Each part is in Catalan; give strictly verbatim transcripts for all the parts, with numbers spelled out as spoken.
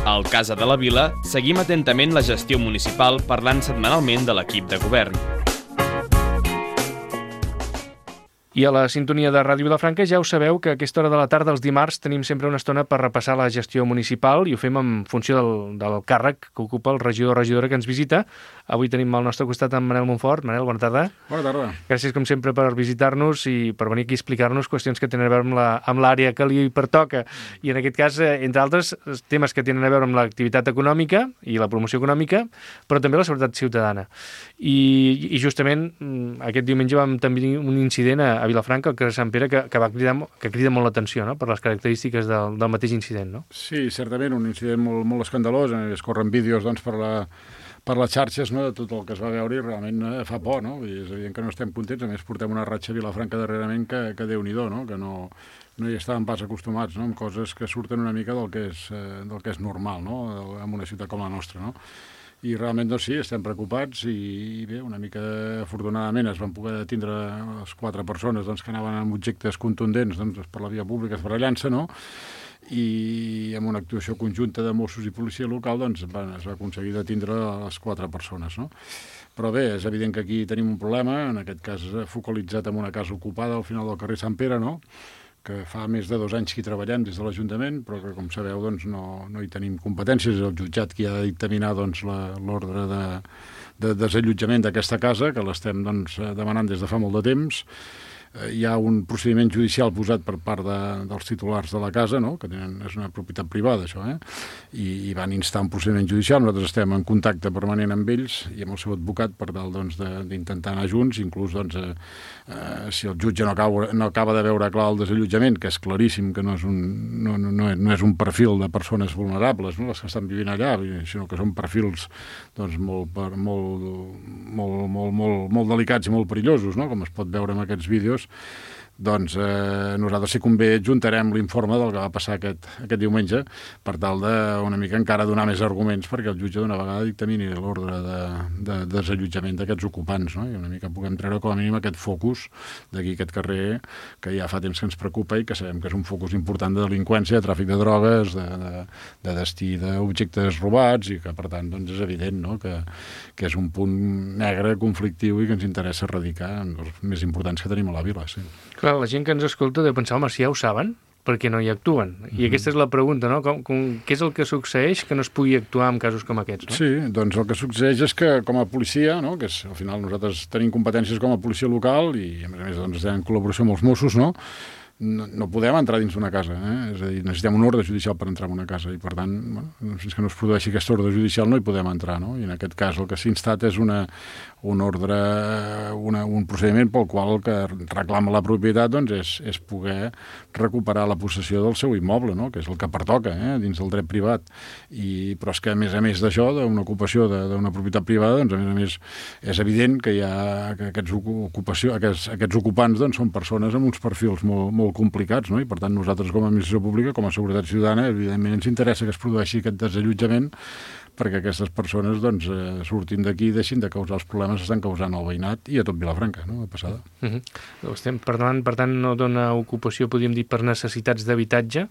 Al Casa de la Vila seguim atentament la gestió municipal parlant setmanalment de l'equip de govern. I a la sintonia de Ràdio Vilafranca ja ho sabeu que a aquesta hora de la tarda, els dimarts, tenim sempre una estona per repassar la gestió municipal i ho fem en funció del, del càrrec que ocupa el regidor o regidora que ens visita. Avui tenim al nostre costat en Manel Montfort. Manel, bona tarda. Bona tarda. Gràcies, com sempre, per visitar-nos i per venir aquí a explicar-nos qüestions que tenen a veure amb la, amb l'àrea que li pertoca. I en aquest cas, entre altres, temes que tenen a veure amb l'activitat econòmica i la promoció econòmica, però també la seguretat ciutadana. I, i justament aquest diumenge vam tenir un incident a a Vilafranca, al carrer Sant Pere, que, que va cridar, que crida molt l'atenció, no?, per les característiques del, del mateix incident, no? Sí, certament, un incident molt, molt escandalós. Es corren vídeos, doncs, per, la, per les xarxes, no?, de tot el que es va veure i realment eh, fa por, no? I és evident que no estem contents. A més, portem una ratxa a Vilafranca darrerament que, que Déu-n'hi-do, no?, que no, no hi estàvem pas acostumats, no?, amb coses que surten una mica del que és, eh, del que és normal, no?, en una ciutat com la nostra, no? I realment, doncs sí, estem preocupats i, i bé, una mica afortunadament es van poder tindre les quatre persones doncs, que anaven amb objectes contundents doncs, per la via pública esbarallant-se, no? I amb una actuació conjunta de Mossos i policia local doncs, van, es va aconseguir detindre les quatre persones, no? Però bé, és evident que aquí tenim un problema, en aquest cas focalitzat en una casa ocupada al final del carrer Sant Pere, no?, que fa més de dos anys que hi treballem des de l'Ajuntament, però que, com sabeu, doncs, no, no hi tenim competències. És el jutjat qui ha de dictaminar doncs, l'ordre de, de desallotjament d'aquesta casa, que l'estem doncs, demanant des de fa molt de temps. Hi ha un procediment judicial posat per part de, dels titulars de la casa, no?, que tenen, és una propietat privada, això, eh? I, i van instar un procediment judicial. Nosaltres estem en contacte permanent amb ells i amb el seu advocat per tal doncs, d'intentar anar junts, inclús doncs, eh, eh, si el jutge no acaba, no acaba de veure clar el desallotjament, que és claríssim que no és un, no, no, no és un perfil de persones vulnerables, no?, les que estan vivint allà, sinó que són perfils doncs, molt, molt, molt, molt, molt, molt delicats i molt perillosos, no?, com es pot veure en aquests vídeos. Doncs eh, nosaltres, si convé, juntarem l'informe del que va passar aquest, aquest diumenge per tal de una mica encara donar més arguments perquè el jutge d'una vegada dictamini l'ordre de, de, de desallotjament d'aquests ocupants, no?, i una mica puguem treure com a mínim aquest focus d'aquí aquest carrer que ja fa temps que ens preocupa i que sabem que és un focus important de delinqüència, de tràfic de drogues, de, de, de destí d'objectes robats i que per tant doncs, és evident, no?, que, que és un punt negre, conflictiu i que ens interessa erradicar els més importants que tenim a la vila, sí. Clar, la gent que ens escolta deu pensar, home, si ja ho saben, per què no hi actuen? I mm-hmm. aquesta és la pregunta, no? Com, com, què és el que succeeix que no es pugui actuar en casos com aquests, no? Sí, doncs el que succeeix és que com a policia, no?, que és, al final nosaltres tenim competències com a policia local i a més a més doncs, en col·laboració amb els Mossos, no?, no, no podem entrar dins d'una casa, eh? És a dir, necessitem un ordre judicial per entrar en una casa i per tant, bueno, fins que no es produeixi aquest ordre judicial no hi podem entrar, no? I en aquest cas el que s'ha instat és una, un ordre, una, un procediment pel qual el que reclama la propietat doncs, és, és poder recuperar la possessió del seu immoble, no?, que és el que pertoca, eh? Dins del dret privat. I, però és que a més a més d'això, d'una ocupació d'una propietat privada, doncs a més a més és evident que hi ha que aquests, ocupació, aquests, aquests ocupants doncs, són persones amb uns perfils molt, molt complicats, no? I per tant nosaltres com a administració pública, com a seguretat ciutadana, evidentment ens interessa que es produeixi aquest desallotjament perquè aquestes persones doncs, eh, surtin d'aquí i deixin de causar els problemes que estan causant al veïnat i a tot Vilafranca, no?, de passada. Uh-huh. Estem parlant, per tant, no dona ocupació, podríem dir, per necessitats d'habitatge,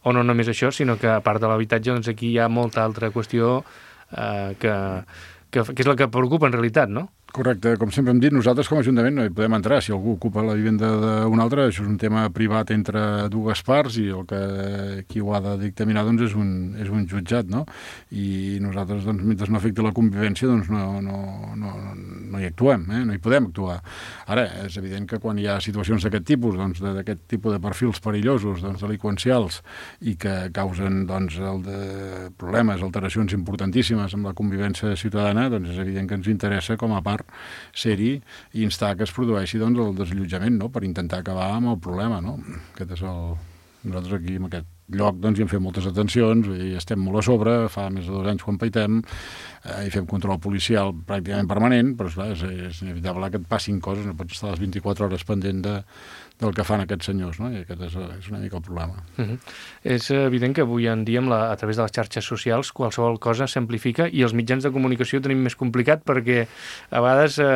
o no només això, sinó que a part de l'habitatge, doncs aquí hi ha molta altra qüestió eh, que, que, que és la que preocupa en realitat, no? Correcte, com sempre hem dit, nosaltres com a Ajuntament no hi podem entrar. Si algú ocupa la vivenda d'un altre, això és un tema privat entre dues parts i el que qui ho ha de dictaminar doncs, és, un, és un jutjat, no? I nosaltres, doncs, mentre no afecti la convivència, doncs no, no, no, no hi actuem, eh? No hi podem actuar. Ara, és evident que quan hi ha situacions d'aquest tipus, doncs, d'aquest tipus de perfils perillosos, doncs, delinqüencials, i que causen doncs, el de problemes, alteracions importantíssimes amb la convivència ciutadana, doncs és evident que ens interessa com a part ser-hi i instar que es produeixi doncs, el desallotjament, no?, per intentar acabar amb el problema, no? Aquest és el... Nosaltres aquí, en aquest lloc, doncs, hi hem fet moltes atencions i estem molt a sobre, fa més de dos anys quan paitem, eh, i fem control policial pràcticament permanent, però esclar, és, és inevitable que et passin coses, no pots estar les vint-i-quatre hores pendent de, del que fan aquests senyors, no? I aquest és, és una mica el problema. Uh-huh. És evident que avui en dia, la, a través de les xarxes socials, qualsevol cosa s'amplifica i els mitjans de comunicació tenim més complicat perquè a vegades eh,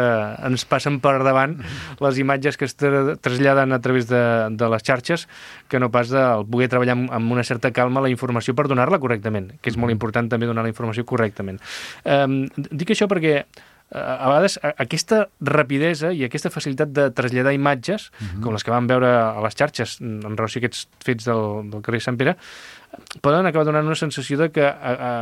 ens passen per davant les imatges que es tra traslladen a través de, de les xarxes que no pas de poder treballar amb, amb una certa calma la informació per donar-la correctament, que és molt important també donar la informació correctament. Eh, dic això perquè a vegades aquesta rapidesa i aquesta facilitat de traslladar imatges, uh-huh. com les que vam veure a les xarxes en relació a aquests fets del, del carrer Sant Pere, poden acabar donant una sensació de que a, a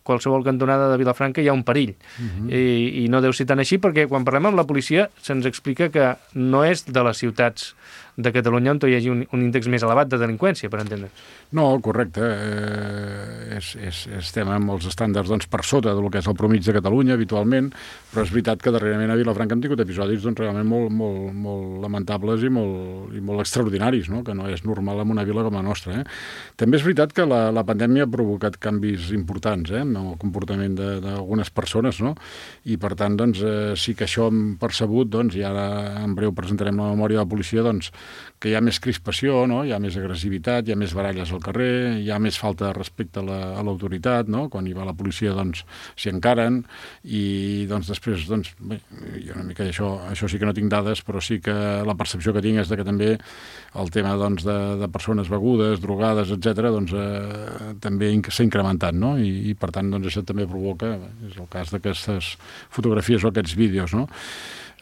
qualsevol cantonada de Vilafranca hi ha un perill. Uh-huh. I, I no deu ser tan així, perquè quan parlem amb la policia se'ns explica que no és de les ciutats de Catalunya on hi hagi un, un índex més elevat de delinqüència, per entendre. No, correcte. Eh, és, és, estem amb els estàndards doncs, per sota del que és el promig de Catalunya habitualment, però és veritat que darrerament a Vilafranca hem tingut episodis doncs, realment molt, molt, molt lamentables i molt, i molt extraordinaris, no? Que no és normal en una vila com la nostra. Eh? També és veritat que la, la pandèmia ha provocat canvis importants eh? en el comportament d'algunes persones, no? I per tant doncs, eh, sí que això hem percebut, doncs, i ara en breu presentarem la memòria de la policia, doncs, que hi ha més crispació, no? Hi ha més agressivitat, hi ha més baralles al carrer, hi ha més falta de respecte a l'autoritat, no? Quan hi va la policia doncs s'hi encaren i doncs després doncs, bé, jo una mica això, això sí que no tinc dades, però sí que la percepció que tinc és de que també el tema doncs, de, de persones begudes, drogades, etcètera, doncs eh, també s'ha incrementat, no? I, i per tant doncs, això també provoca, és el cas d'aquestes fotografies o aquests vídeos, no?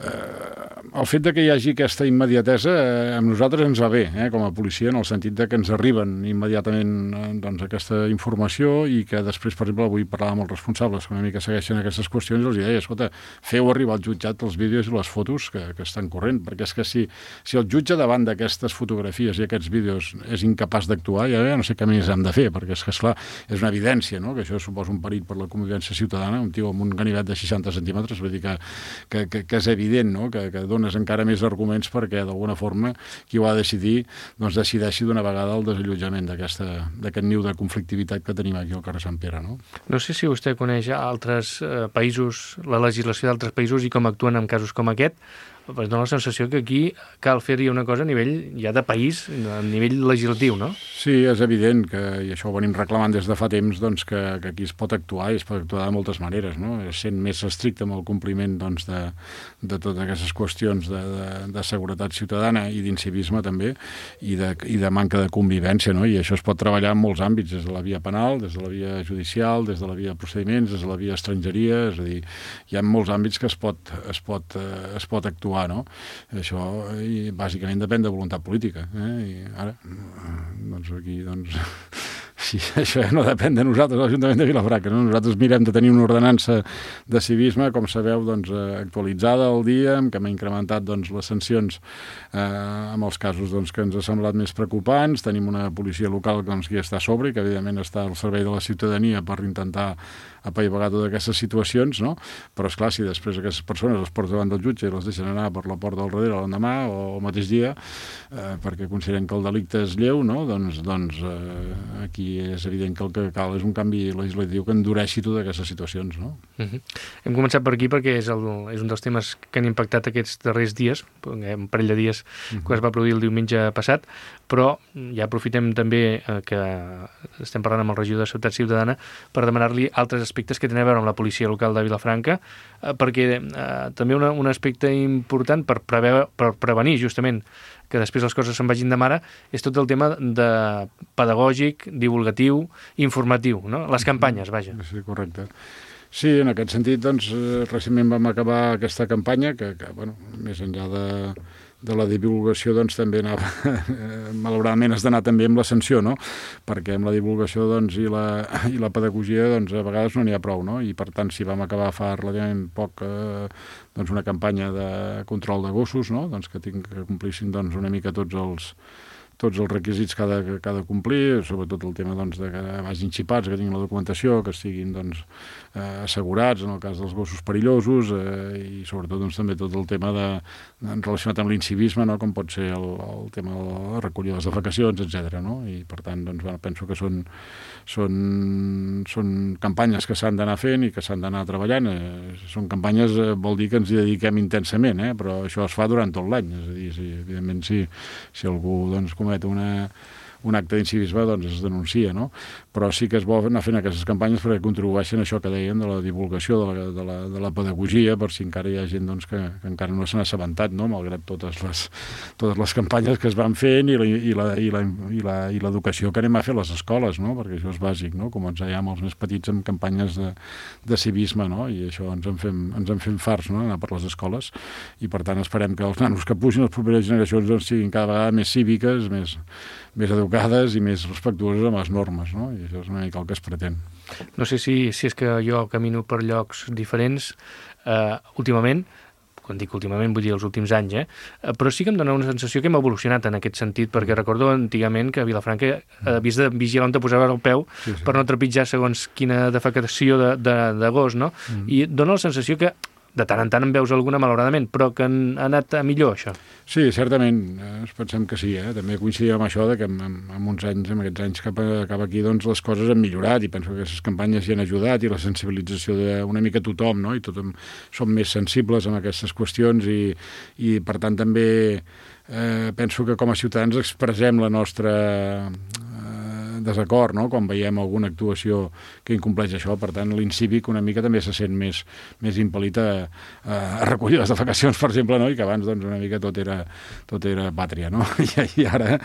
Eh, el fet de que hi hagi aquesta immediatesa eh, amb nosaltres ens va bé, eh, com a policia, en el sentit de que ens arriben immediatament eh, doncs, aquesta informació i que després, per exemple, avui parlava amb els responsables que una mica segueixen aquestes qüestions i els deia, escolta, feu arribar al jutjat els vídeos i les fotos que, que estan corrent, perquè és que si, si el jutge davant d'aquestes fotografies i aquests vídeos és incapaç d'actuar, ja no sé què més hem de fer, perquè és que, esclar, és una evidència, no?, que això suposa un perill per la convivència ciutadana, un tio amb un ganivet de seixanta centímetres, vull dir que, que, que, que és evident, no? que, que dones encara més arguments perquè d'alguna forma qui ho ha de decidir doncs decideixi d'una vegada el desallotjament d'aquest niu de conflictivitat que tenim aquí al carrer Sant Pere. No, no sé si vostè coneix altres eh, països, la legislació d'altres països i com actuen en casos com aquest. Pues dona la sensació que aquí cal fer-hi una cosa a nivell ja de país, a nivell legislatiu, no? Sí, és evident que, i això ho venim reclamant des de fa temps, doncs, que, que aquí es pot actuar i es pot actuar de moltes maneres, no? Sent més estricte amb el compliment doncs, de, de totes aquestes qüestions de, de, de seguretat ciutadana i d'incivisme també, i de, i de manca de convivència, no? I això es pot treballar en molts àmbits, des de la via penal, des de la via judicial, des de la via procediments, des de la via estrangeria, és a dir, hi ha molts àmbits que es pot, es pot, eh, es pot actuar. No? Això i bàsicament depèn de voluntat política, eh? I ara doncs aquí doncs sí, això no depèn de nosaltres, l'Ajuntament de Vilafranca, no? Nosaltres mirem de tenir una ordenança de civisme, com sabeu, doncs, actualitzada al dia, que hem incrementat doncs, les sancions eh, amb els casos doncs, que ens ha semblat més preocupants. Tenim una policia local doncs, que està a sobre i que evidentment està al servei de la ciutadania per intentar apaivagar totes aquestes situacions, no? Però esclar, si després aquestes persones les porten davant del jutge i les deixen anar per la porta del darrere l'endemà o el mateix dia, eh, perquè consideren que el delicte és lleu, no? Doncs, doncs eh, aquí és evident que el que cal és un canvi legislatiu que endureixi totes aquestes situacions, no? Uh-huh. Hem començat per aquí perquè és, el, és un dels temes que han impactat aquests darrers dies, un parell de dies uh-huh. que es va produir el diumenge passat, però ja aprofitem també eh, que estem parlant amb el regidor de Seguretat Ciutadana per demanar-li altres aspectes que tenen a veure amb la policia local de Vilafranca, eh, perquè eh, també una, un aspecte important per, preve, per prevenir justament que després les coses se'n vagin de mare, és tot el tema de pedagògic, divulgatiu, informatiu, no? Les campanyes, vaja. Sí, correcte. Sí, en aquest sentit, doncs, recentment vam acabar aquesta campanya, que, que bueno, més enllà de, de la divulgació, doncs, també anava, malauradament has d'anar també amb la sanció, no? Perquè amb la divulgació, doncs, i la, i la pedagogia, doncs, a vegades no n'hi ha prou, no? I, per tant, si vam acabar fa relativament poc, eh, doncs, una campanya de control de gossos, no? Doncs, que, tinc, que complissin, doncs, una mica tots els tots els requisits que ha de, que ha de complir, sobretot el tema doncs, de que vagin xipats, que tinguin la documentació, que estiguin doncs, eh, assegurats en el cas dels gossos perillosos eh, i sobretot doncs, també tot el tema de, de, relacionat amb l'incivisme, no? Com pot ser el, el tema de la recollida de les defecacions, etcètera. No? I per tant doncs, bueno, penso que són, són, són campanyes que s'han d'anar fent i que s'han d'anar treballant. Eh, són campanyes, eh, vol dir que ens hi dediquem intensament, eh? Però això es fa durant tot l'any. És a dir, si, evidentment, si, si algú doncs, comet una, un acte d'incivisme doncs es denuncia, no? Però sí que és bo anar fent aquestes campanyes perquè contribueixen a això que dèiem de la divulgació de la, de la, de la pedagogia, per si encara hi ha gent doncs, que, que encara no s'han assabentat, no? Malgrat totes les, totes les campanyes que es van fent i la, i la, i la, i la, i l'educació que anem a fer a les escoles, no? Perquè això és bàsic, no? Començar ja amb els més petits amb campanyes de, de civisme, no? I això ens en fem, ens en fem farts, no? Anar per les escoles, i per tant esperem que els nanos que pugin, les properes generacions, doncs, siguin cada vegada més cíviques, més, més educades i més respectuoses amb les normes, no? I això és una mica el que es pretén. No sé si, si és que jo camino per llocs diferents eh, últimament, quan dic últimament vull dir els últims anys, eh? Però sí que em dona una sensació que hem evolucionat en aquest sentit, perquè recordo antigament que a Vilafranca havies de vigilar on te posaves el peu sí, sí. per no trepitjar segons quina defecació de, de, de gos, no? Mm. I dona la sensació que de tant en tant en veus alguna, malauradament, però que han anat a millor, això. Sí, certament, eh, pensem que sí, eh? També coincidim amb això de que en, en uns anys, en aquests anys cap, a, cap aquí, doncs les coses han millorat i penso que aquestes campanyes hi han ajudat i la sensibilització d'una mica tothom, no? I tothom som més sensibles amb aquestes qüestions i, i per tant també eh, penso que com a ciutadans expressem la nostra desacord, no? Quan veiem alguna actuació que incompleix això, per tant l'incívic una mica també se sent més, més impel·lit a, a recollir les defecacions, per exemple, no? I que abans doncs, una mica tot era, tot era pàtria, no? I, i ara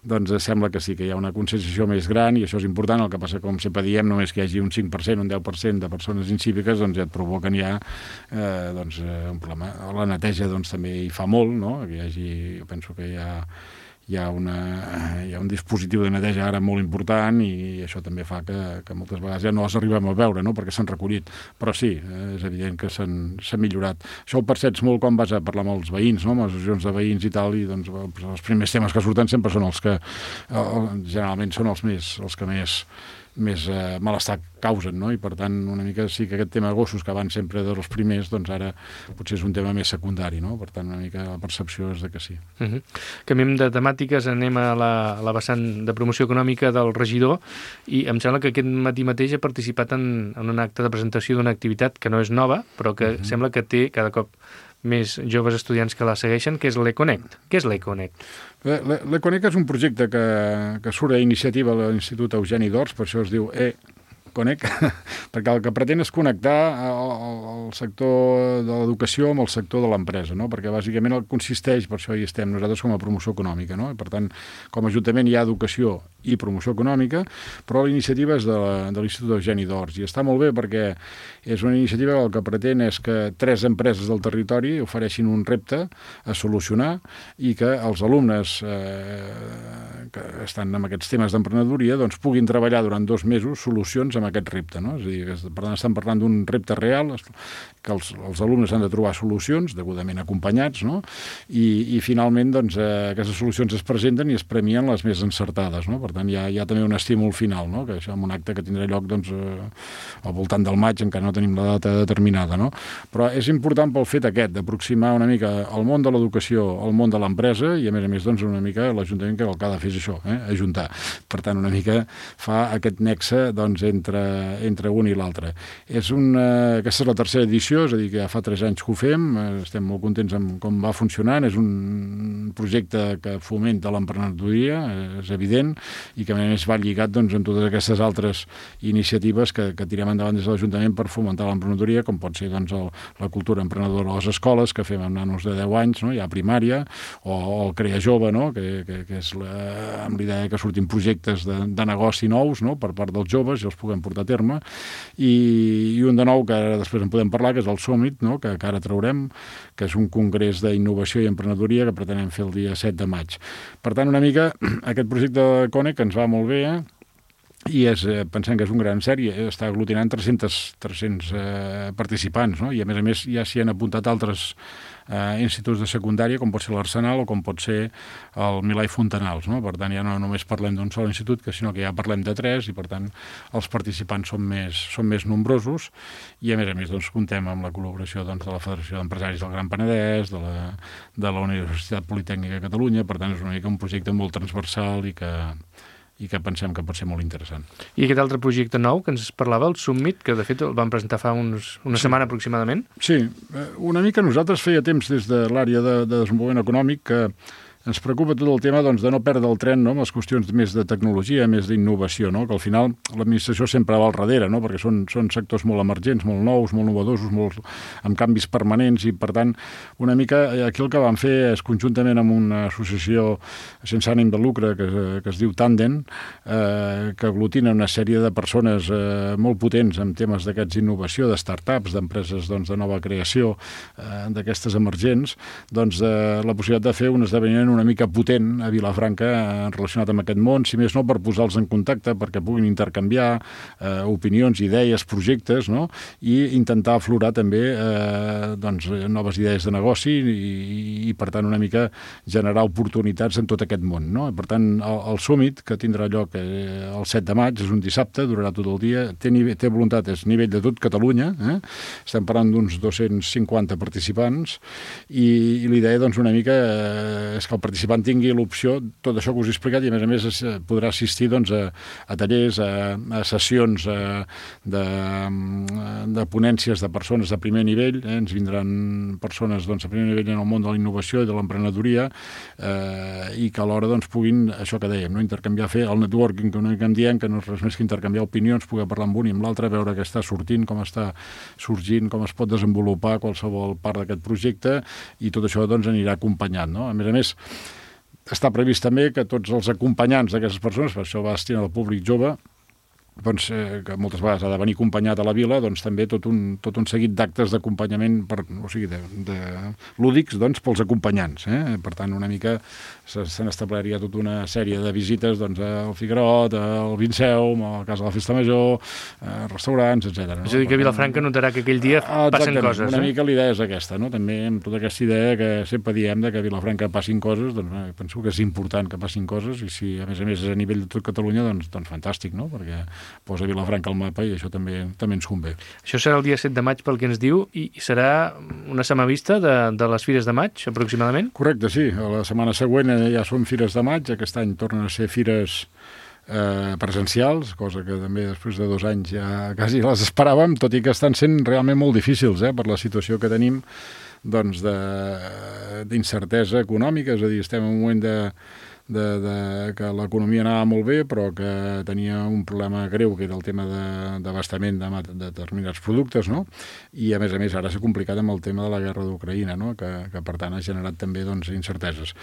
doncs, sembla que sí, que hi ha una conscienciació més gran i això és important, el que passa, com sempre diem, només que hi hagi un cinc per cent, un deu per cent de persones incíviques, doncs ja et provoquen ja eh, doncs, un problema. La neteja doncs, també hi fa molt, no? Que hi hagi, jo penso que hi ha Hi ha, una, hi ha un dispositiu de neteja ara molt important i això també fa que, que moltes vegades ja no els arribem a veure, no? Perquè s'han recollit. Però sí, és evident que s'ha millorat. Això ho percets molt quan vas a parlar amb els veïns, no? Amb les associacions de veïns i tal, i doncs, els primers temes que surten sempre són els que generalment són els, més, els que més... més eh, malestar causen, no? I per tant una mica sí que aquest tema de gossos que abans sempre dels primers, doncs ara potser és un tema més secundari, no? Per tant una mica la percepció és de que sí. Uh-huh. Canviem de temàtiques, anem a la, a la vessant de promoció econòmica del regidor i em sembla que aquest matí mateix ha participat en, en un acte de presentació d'una activitat que no és nova, però que uh-huh. sembla que té cada cop més joves estudiants que la segueixen, que és l'Econnect. Què és l'Econnect? L'Econnect és un projecte que, que surt a iniciativa de l'Institut Eugeni d'Ors, per això es diu E-Connect, perquè el que pretén és connectar el, el sector de l'educació amb el sector de l'empresa, no? Perquè bàsicament el consisteix, per això hi estem nosaltres com a promoció econòmica, no? I per tant, com a Ajuntament hi ha educació i promoció econòmica, però la iniciativa és de, la, de l'Institut Eugeni d'Ors i està molt bé perquè és una iniciativa que el que pretén és que tres empreses del territori ofereixin un repte a solucionar i que els alumnes eh, que estan en aquests temes d'emprenedoria doncs puguin treballar durant dos mesos solucions amb aquest repte, no? És a dir, que, per tant estan parlant d'un repte real que els, els alumnes han de trobar solucions degudament acompanyats, no? I, i finalment doncs, eh, aquestes solucions es presenten i es premien les més encertades, no? Per tant, hi ha, hi ha també un estímul final, no? Que això és un acte que tindrà lloc doncs, eh, al voltant del maig, encara no tenim la data determinada, no? Però és important pel fet aquest, d'aproximar una mica el món de l'educació al món de l'empresa i, a més a més, doncs, una mica l'Ajuntament que el que ha de fer és això, eh? Ajuntar. Per tant, una mica fa aquest nexe doncs, entre, entre un i l'altre. És una, aquesta és la tercera edició, és a dir, que ja fa tres anys que ho fem, estem molt contents amb com va funcionant, és un projecte que fomenta l'emprenedoria, és evident, i que a més va lligat doncs, amb totes aquestes altres iniciatives que, que tirem endavant des de l'Ajuntament per fomentar l'emprenedoria, com pot ser doncs, el, la cultura emprenedora a les escoles, que fem amb nanos de deu anys, no? Ja a primària, o, o el Crea Jove, no? que, que, que és la, amb l'idea que surtin projectes de, de negoci nous, no? Per part dels joves i els puguem portar a terme, i, i un de nou que ara després en podem parlar, que és el Summit, no? que, que ara traurem, que és un congrés d'innovació i emprenedoria que pretenem fer el dia set de maig. Per tant, una mica, aquest projecte de Connect que ens va molt bé, eh? I és, pensem que és un gran sèrie, està aglutinant tres-cents, tres-cents eh, participants, no? I a més a més ja s'hi han apuntat altres eh, instituts de secundària, com pot ser l'Arsenal o com pot ser el Milà i Fontanals, no? Per tant, ja no només parlem d'un sol institut, que sinó que ja parlem de tres i, per tant, els participants són més, són més nombrosos i, a més a més, doncs, comptem amb la col·laboració doncs, de la Federació d'Empresaris del Gran Penedès, de la, de la Universitat Politècnica de Catalunya, per tant, és una mica un projecte molt transversal i que i que pensem que pot ser molt interessant. I aquest altre projecte nou que ens parlava, el Summit, que de fet el vam presentar fa uns, una sí. setmana aproximadament? Sí, una mica nosaltres feia temps des de l'àrea de, de desenvolupament econòmic que ens preocupa tot el tema doncs, de no perdre el tren, no?, amb les qüestions més de tecnologia, més d'innovació, no?, que al final l'administració sempre va al darrere, no?, perquè són, són sectors molt emergents, molt nous, molt novedosos, molt, amb canvis permanents, i per tant, una mica aquí el que vam fer és conjuntament amb una associació sense ànim de lucre que, que es diu Tandem, eh, que aglutina una sèrie de persones eh, molt potents en temes d'aquests d'innovació, de start-ups, d'empreses doncs, de nova creació, eh, d'aquestes emergents, doncs eh, la possibilitat de fer un esdeveniment una mica potent a Vilafranca eh, relacionat amb aquest món, si més no per posar-los en contacte, perquè puguin intercanviar eh, opinions, idees, projectes, no?, i intentar aflorar també eh, doncs, noves idees de negoci i, i per tant una mica generar oportunitats en tot aquest món, no? Per tant, el, el Summit, que tindrà lloc eh, el set de maig, és un dissabte, durarà tot el dia, té, nivell, té voluntat, és nivell de tot Catalunya, eh? Estem parlant d'uns dos-cents cinquanta participants i, i l'idea doncs una mica eh, és que el participant tingui l'opció, tot això que us he explicat, i a més a més es, podrà assistir doncs, a, a tallers, a, a sessions a, de, de ponències de persones de primer nivell, eh? Ens vindran persones doncs, de primer nivell en el món de la innovació i de l'emprenedoria eh, i que alhora doncs, puguin, això que dèiem, no? Intercanviar, fer el networking, que no hi diem, que no és res més que intercanviar opinions, poder parlar amb un i amb l'altre, veure què està sortint, com està sorgint, com es pot desenvolupar qualsevol part d'aquest projecte, i tot això doncs, anirà acompanyat, no? A més a més, està previst també que tots els acompanyants d'aquestes persones, per això va destinar al públic jove, doncs, eh, que moltes vegades ha de venir acompanyat a la vila, doncs també tot un, tot un seguit d'actes d'acompanyament, per, o sigui, de, de lúdics, doncs, pels acompanyants. Eh? Per tant, una mica se, se n'estableria tota una sèrie de visites doncs, al Figuerot, al Vinceum, a la Casa de la Festa Major, a restaurants, etcètera. No? És a dir, que Vilafranca notarà que aquell dia ah, passen coses. Una eh? mica l'idea és aquesta, no? També amb tota aquesta idea que sempre diem de que a Vilafranca passin coses, doncs eh, penso que és important que passin coses, i si a més a més és a nivell de tot Catalunya, doncs, doncs fantàstic, no? Perquè posa Vilafranca al mapa i això també també ens convé. Això serà el dia set de maig pel que ens diu, i serà una setmana de, de les Fires de Maig, aproximadament? Correcte, sí. La setmana següent ja són Fires de Maig, aquest any tornen a ser fires eh, presencials, cosa que també després de dos anys ja quasi les esperàvem, tot i que estan sent realment molt difícils eh, per la situació que tenim doncs d'incertesa econòmica, és a dir, estem en un moment de De, de, que l'economia anava molt bé, però que tenia un problema greu, que era el tema d'abastament de, de, de determinats productes, no? I, a més a més, ara s'ha complicat amb el tema de la guerra d'Ucraïna, no? que, que, per tant, ha generat també doncs, incerteses.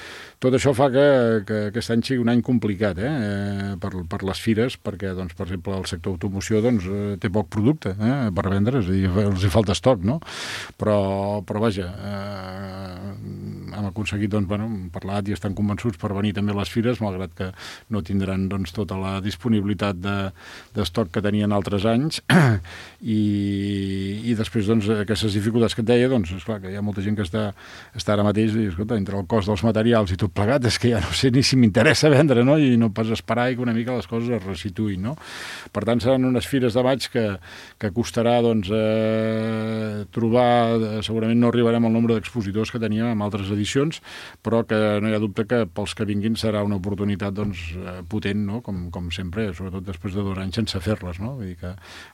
Tot això fa que, que aquest any sigui un any complicat eh? per, per les fires, perquè, doncs, per exemple, el sector automoció doncs, té poc producte eh? per vendre, és a dir, els hi falta estoc, no? Però, però vaja, eh, hem aconseguit doncs, bueno, parlat i estan convençuts per venir també les fires, malgrat que no tindran doncs, tota la disponibilitat d'estoc de, que tenien altres anys i, i després doncs, aquestes dificultats que et deia, doncs esclar que hi ha molta gent que està, està ara mateix i, escolta, entre el cost dels materials i tot plegat és que ja no sé ni si m'interessa vendre, no? I no pas esperar i que una mica les coses es resituïn, no? Per tant, seran unes fires de maig que, que costarà doncs, eh, trobar, segurament no arribarem al nombre d'expositors que teníem en altres edicions, però que no hi ha dubte que pels que vinguin serà una oportunitat doncs, potent, no? com, com sempre, sobretot després de dos anys sense fer-les. No? Vull dir que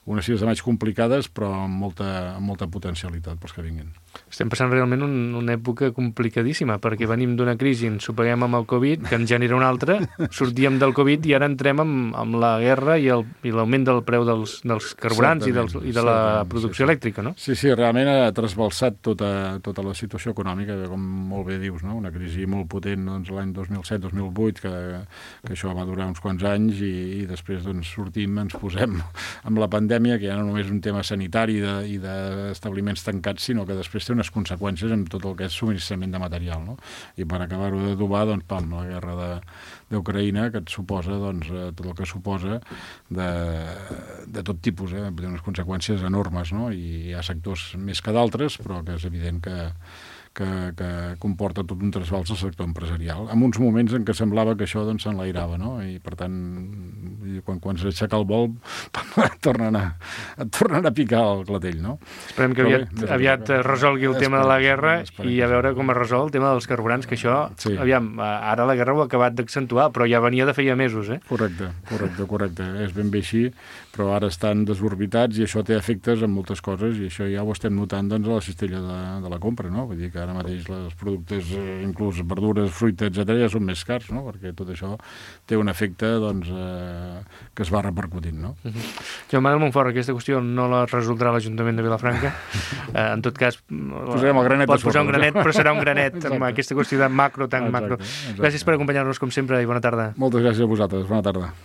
unes fires de maig complicades, però amb molta, amb molta potencialitat pels que vinguin. Estem passant realment un, una època complicadíssima, perquè venim d'una crisi, ens ho paguem amb el Covid, que en genera una altra, sortíem del Covid i ara entrem amb, amb la guerra i l'augment del preu dels, dels carburants i, dels, i de la producció sí, sí. elèctrica, no? Sí, sí, realment ha trasbalsat tota, tota la situació econòmica, com molt bé dius, no? Una crisi molt potent doncs, l'any dos mil set dos mil vuit, que, que això va durar uns quants anys i, i després doncs, sortim, ens posem amb la pandèmia, que ja no només és un tema sanitari de, i d'establiments tancats, sinó que després té unes conseqüències en tot el que és subministrament de material. No? I per acabar-ho d'adobar, doncs, pam, la guerra d'Ucraïna, que et suposa doncs, tot el que suposa de, de tot tipus, eh? Té unes conseqüències enormes, no? I hi ha sectors més que d'altres, però que és evident que Que, que comporta tot un trasbals al sector empresarial, en uns moments en què semblava que això doncs, s'enlairava, no? I per tant I quan, quan s'aixeca el vol et tornen, a, et tornen a picar el clatell, no? Esperem que aviat, bé, aviat es resolgui el tema de la guerra i a veure com es resol el tema dels carburants, que això, sí. aviam, ara la guerra ho ha acabat d'accentuar, però ja venia de feia mesos, eh? Correcte, correcte, correcte. És ben bé així, però ara estan desorbitats i això té efectes en moltes coses i això ja ho estem notant doncs, a la cistella de, de la compra, no? Vull dir que ara mateix els productes, eh, inclús verdures, fruita, etcètera, ja són més cars, no? Perquè tot això té un efecte doncs, eh, que es va repercutint, no? Uh-huh. Joan Manuel Montfort, aquesta qüestió no la resoldrà l'Ajuntament de Vilafranca. Eh, en tot cas, posarem el granet pot posar un sobre, granet, però serà un granet amb aquesta qüestió de macro, tan exacte, macro. exacte. Gràcies per acompanyar-nos, com sempre, i bona tarda. Moltes gràcies a vosaltres. Bona tarda.